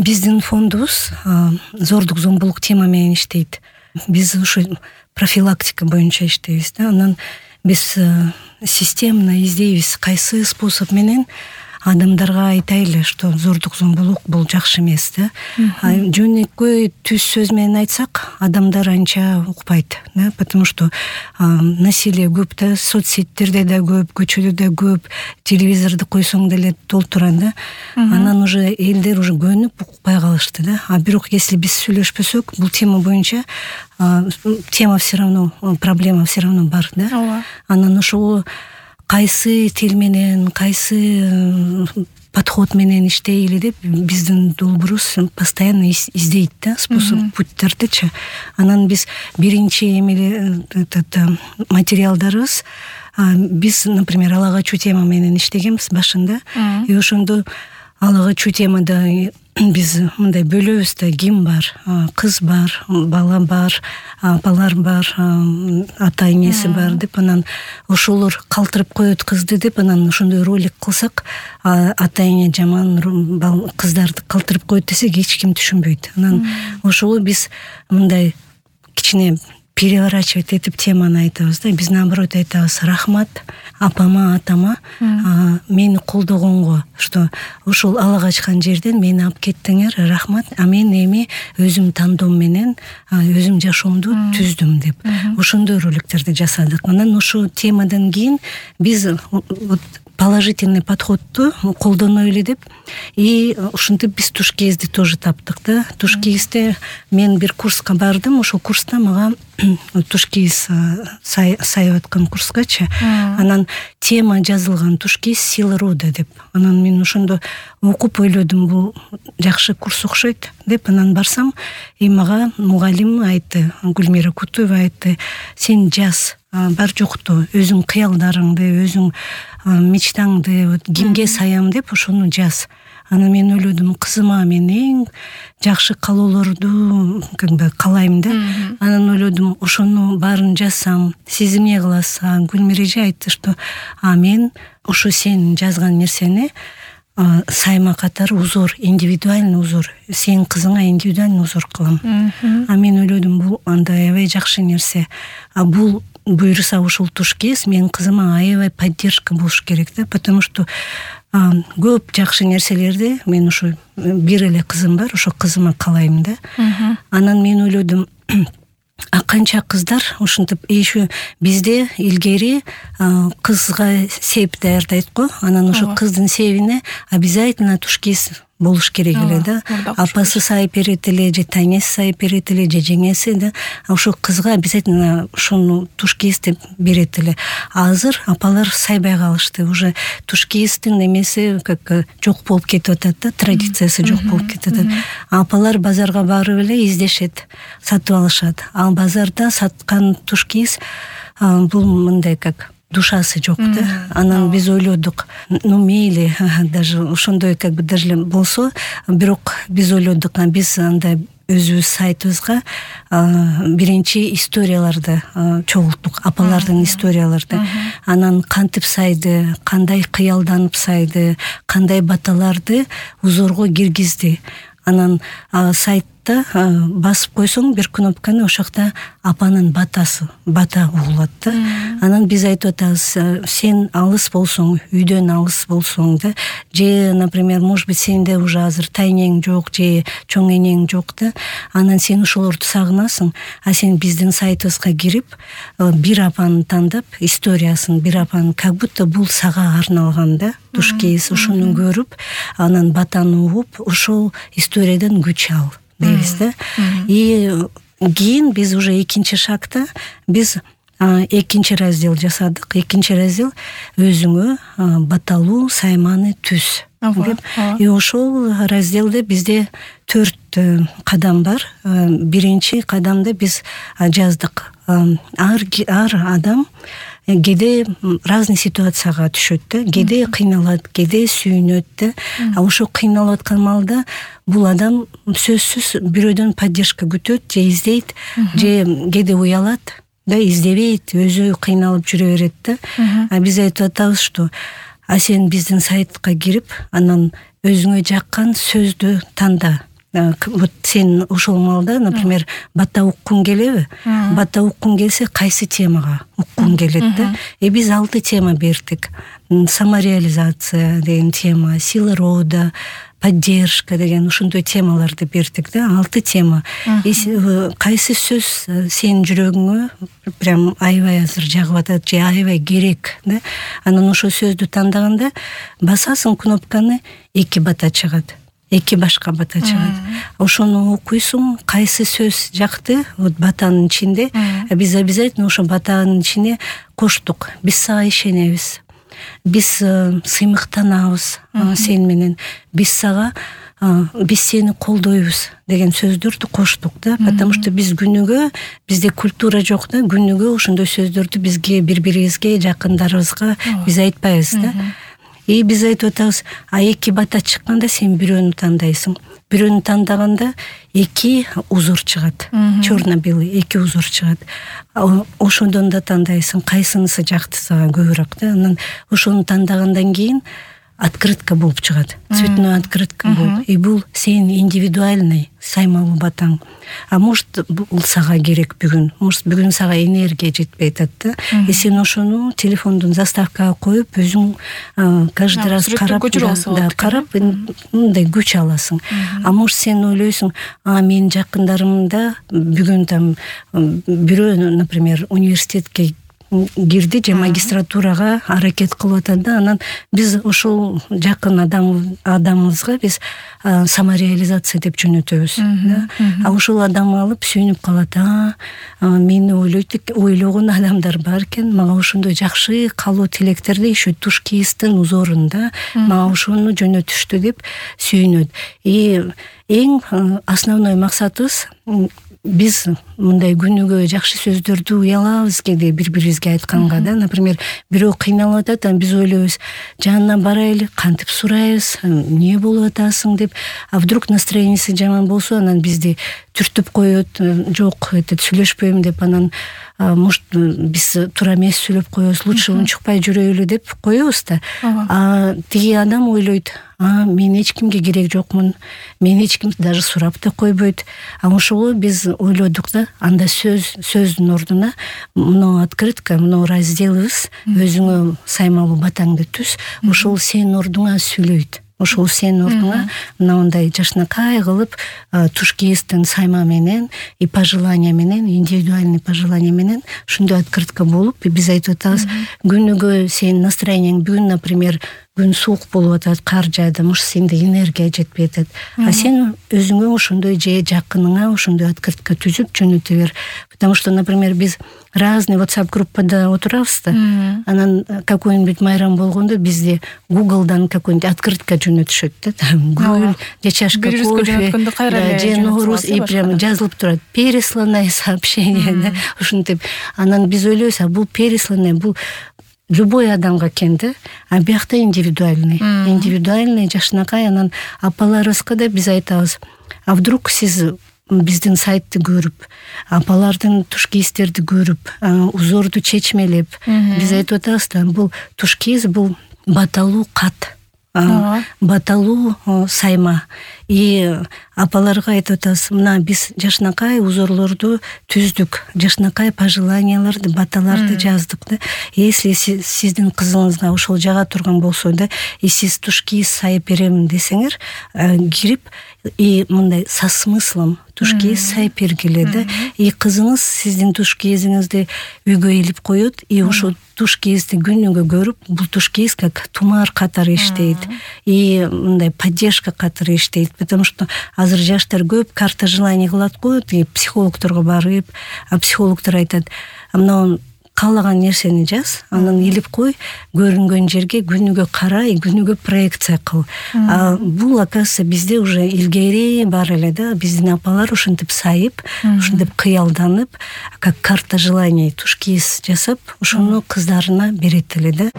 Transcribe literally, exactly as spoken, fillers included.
Биздин фондубуз зордук зомбулук тема менен иштейт. Биз ушу профилактика боюнча иштейбиз да. Анан биз системно издейбиз, кайсы способ менен адамдарга айтайлы, что зордук зомбулук бул жакшы эмес да. Жөнөкөй түз сөз менен айтсак, адамдар анча укпайт да, потому что насилие көп да, соцсеттерде да көп, көчөдө да көп, телевизорду койсоң деле толтурат да. Анан уже элдер уже көнүп укпай калышты да. А бирок если биз сүйлөшпөсөк, бул тема боюнча тема все равно, проблема все равно бар да. Анан ошого кайсы тил менен, кайсы подход менен иштейли деп биздин долбоорубуз постоянно издейт да, способ, путьтардычы. Анан биз биринчи эмеле материалдарыбыз, биз, например, ала качуу тема менен иштегенбиз башында. И ошондо ала качуу темада биз мындай бөлөбүз да, ким бар, кыз бар, бала бар, апалар бар, ата энеси бар деп, анан ошолор калтырып коет кызды деп, анан ошондой ролик кылсак, ата эне жаман кыздарды калтырып коет десек, эч ким түшүнбөйт. Анан ошого биз мындай кичине переворачивать этип теманы айтабыз да. Биз наоборот айтабыз: рахмат апама, атама мени колдогонго, что ушул ала качкан жерден мени алып кеттиңер, рахмат, а мен эми өзүм тандоом менен өзүм жашоомду түздүм деп. Ошондой роликтерди жасадык. Анан ошол темадан кийин биз положительный подходду колдонойлу деп, и ушинтип биз Тушкиевди тоже таптык да. Тушкиевде мен бир курска бардым, ошол курста мага Тушкиев сайып аткан курскачы, анан тема жазылган: Тушкиев сила рода деп. Анан мен ошондо окуп ойлодум, бул жакшы курс окшойт деп. Анан барсам, и мага мугалим айтты, Гүлмира Кутуева айтты: сен жаз, бар жокту өзүң кыялдарыңды, өзүң мечтаңды кимге саям деп ошону жаз. Анан мен ойлодум, кызыма мен эң жакшы каалоолорду как бы каалайм да. Анан ойлодум, ошону баарын жазсам, сиз эмне кыласыз? Гүлмира эже айтты, что а мен ошо сен жазган нерсени сайма катары узор, индивидуальный узор, сенин кызыңа индивидуальный узор кылам. А мен ойлодум, бул андай аябай жакшы нерсе. А бул буйруса ушул Тушкиев менин кызыма аябай поддержка болуш керек да, потому что көп жакшы нерселерди мен ушу бир эле кызым бар, ошо кызыма каалайм да. Анан мен ойлодум, а канча кыздар ушинтип, еще бизде илгери кызга сеп даярдайт го, анан ошо кыздын себине обязательно Тушкиев болуш керек эле да. Апасы сайып берет эле, же таңеси сайып берет эле, же жеңеси да. Ошо кызга обязательно ошону Тушкиевди берет эле. Азыр апалар сайбай калышты. Уже Тушкиевдин эмеси как жок болуп кетип атат да, традициясы жок болуп кетип атат. Апалар базарга барып эле издешет, сатып алышат. Ал базарда саткан Тушкиев бул мындай как душасы жок да. Анан биз ойлодук, ну мейли, даже ошондой как бы даже болсо, бирок биз ойлодук, биз андай өзүбүз сайтыбызга биринчи историяларды чогулттук, апалардын историяларды. Анан кантип сайды, кандай кыялданып сайды, кандай баталарды узорго киргизди. Анан сайтта басып койсоң бир кнопканы, ошокто апанын батасы, бата угулат да. Анан биз айтып атабыз, сен алыс болсоң, үйдөн алыс болсоң да, же, например, может быть, сенде уже азыр тайнең жок, же чоң энең жок да, анан сен ошолорду сагынасың, а сен биздин сайтыбызга кирип, бир апаны тандап, историясын, бир апаны, как будто бул сага арналган да. Тушкиев ошону көрүп, анан батаны угуп, ошол историядан күч ал дейбиз да. И кийин биз уже экинчи шагта биз экинчи раздел жасадык. Экинчи раздел өзүңө баталуу сайманы түз деп. И ошол разделде бизде төрт кадам бар. Биринчи кадамда биз жаздык, ар ар адам кээде разный ситуацияга түшөт да, кээде кыйналат, кээде сүйүнөт да. А ошо кыйналып аткан малда бул адам сөзсүз бирөөдөн поддержка күтөт, же издейт, же кээде уялат да, издебейт, өзү кыйналып жүрө берет да. А биз айтып атабыз, что а сен биздин сайтка кирип, анан өзүңө жаккан сөздү танда. вот сен ошол маалда, например, бата уккуң келеби? Бата уккуң келсе, кайсы темага уккуң келет да? И биз алты тема бердик. Самореализация деген тема, сила рода, поддержка деген ушундай темаларды бердик да, алты тема. Кайсы сөз сенин жүрөгүңө прям аябай азыр жагып атат же аябай керек да? Анан ошол сөздү тандаганда басасың кнопканы, эки бата чыгат. Эки башка бата чыгат. Ошону окуйсуң, кайсы сөз жакты, вот батанын ичинде, биз обязательно ошо батанын ичине коштук. Биз сага ишенебиз. Биз сыймыктанабыз сен менен. Биз сага биз сени колдойбуз деген сөздөрдү коштук да, потому что биз күнүгө, бизде культура жок да, күнүгө ошондой сөздөрдү бизге, бири-бирибизге, жакындарыбызга биз айтпайбыз да. И биз айтып атабыз, а эки бата чыкканда сен бирөөнү тандайсың. Бирөөнү тандаганда эки узор чыгат. Черно-белый эки узор чыгат. Ошондон да тандайсың, кайсынысы жакты сага көбүрөөк да. Анан ошону тандагандан кийин открытка болуп чыгат. Цветной открытка болуп. И бул сенин индивидуальный саймалуу батаң. А может бул сага керек бүгүн. Может бүгүн сага энергия жетпей атат да. И сен ошону телефондун заставкага коюп, өзүң каждый раз карап, да, карап мындай күч аласың. А может сен ойлойсуң, а менин жакындарымда бүгүн там бирөө, например, университетке кирди же магистратурага аракет кылып атат да, анан биз ошол жакын адам адамыбызга биз самореализация деп жөнөтөбүз да. А ошол адамды алып сүйүнүп калат. А мени ойлойт, ойлогон адамдар бар экен, мага ошондой жакшы каалоо тилектерди еще тушкиисттин узорунда мага ошону жөнөтүштү деп сүйүнөт. И эң основной максатыбыз биз мындай күнүгө жакшы сөздөрдү уялабыз кээде бири-бирибизге айтканга да. Например, бирөө кыйналып атат, анан биз ойлойбуз, жанына барайлы, кантип сурайбыз, эмне болуп атасың деп. А вдруг настроениясы жаман болсо, анан бизди түртүп коет, жок, этот сүйлөшпөйм деп, анан может биз туура эмес сүйлөп коебуз, лучше унчукпай жүрөйлү деп коебуз да. А тиги адам ойлойт, а мен эч кимге керек жокмун, мен эч ким даже сурап да койбойт. А ошого биз ойлодук да, анда сөз сөздүн ордуна мына открытка, мына разделыбыз, өзүңө саймалуу батаңды түз, ошол сенин ордуңа сүйлөйт. Ошол сенин ордуңа мындай жашнакай кылып тушкиисттин сайма менен и пожелания менен, индивидуальный пожелания менен ушундай открытка болуп, биз айтып атабыз, күнүгө сенин настроениең бүгүн, например, күн суук болуп атат, кар жаады, может сенде энергия жетпей атат. А сен өзүңө ошондой же жакыныңа ошондой открытка түзүп жөнөтө бер. Потому что, например, биз разный WhatsApp группада отурабыз да. Анан какой-нибудь майрам болгондо бизде Google'дан какой-нибудь открытка жөнөтүшөт да. Гүл, же чашка кофе, же Норуз, и прям жазылып турат. Пересланное сообщение да. Ушинтип анан биз ойлойбуз, а бул пересланное, бул любой адамга экен да, а биякта индивидуальный. Индивидуальный жашнакай. Анан апаларыбызга да биз айтабыз, а вдруг сиз биздин сайтты көрүп, апалардын тушкиистерди көрүп, узорду чечмелеп, биз айтып атабыз да, бул тушкииз, бул баталуу кат, баталуу сайма. И апаларга айтып атабыз, мына биз жашнакай узорлорду түздүк, жашнакай пожеланияларды, баталарды жаздык да. Если сиздин кызыңызга ошол жага турган болсо да, и сиз тушкииз сайып берем десеңер, кирип и мындай со смыслом тушкииз сайып бергиле да. И кызыңыз сиздин тушкиизиңизди үйгө илип коет, и ошол тушкиизди күнүгө көрүп, бул тушкииз как тумар катары иштейт, и мындай поддержка катары иштейт. Потому что азыр жаштар көп карта желаний кылат го, психологторго барып, а психологдор айтат, мына каалаган нерсени жаз, анан илип кой, көрүнгөн жерге күнүгө кара, и күнүгө проекция кыл. А бул, оказывается, бизде уже илгери бар эле да, биздин апалар ушинтип сайып, ушинтип кыялданып, как карта желаний тушкииз жасап, ошону кыздарына берет эле да.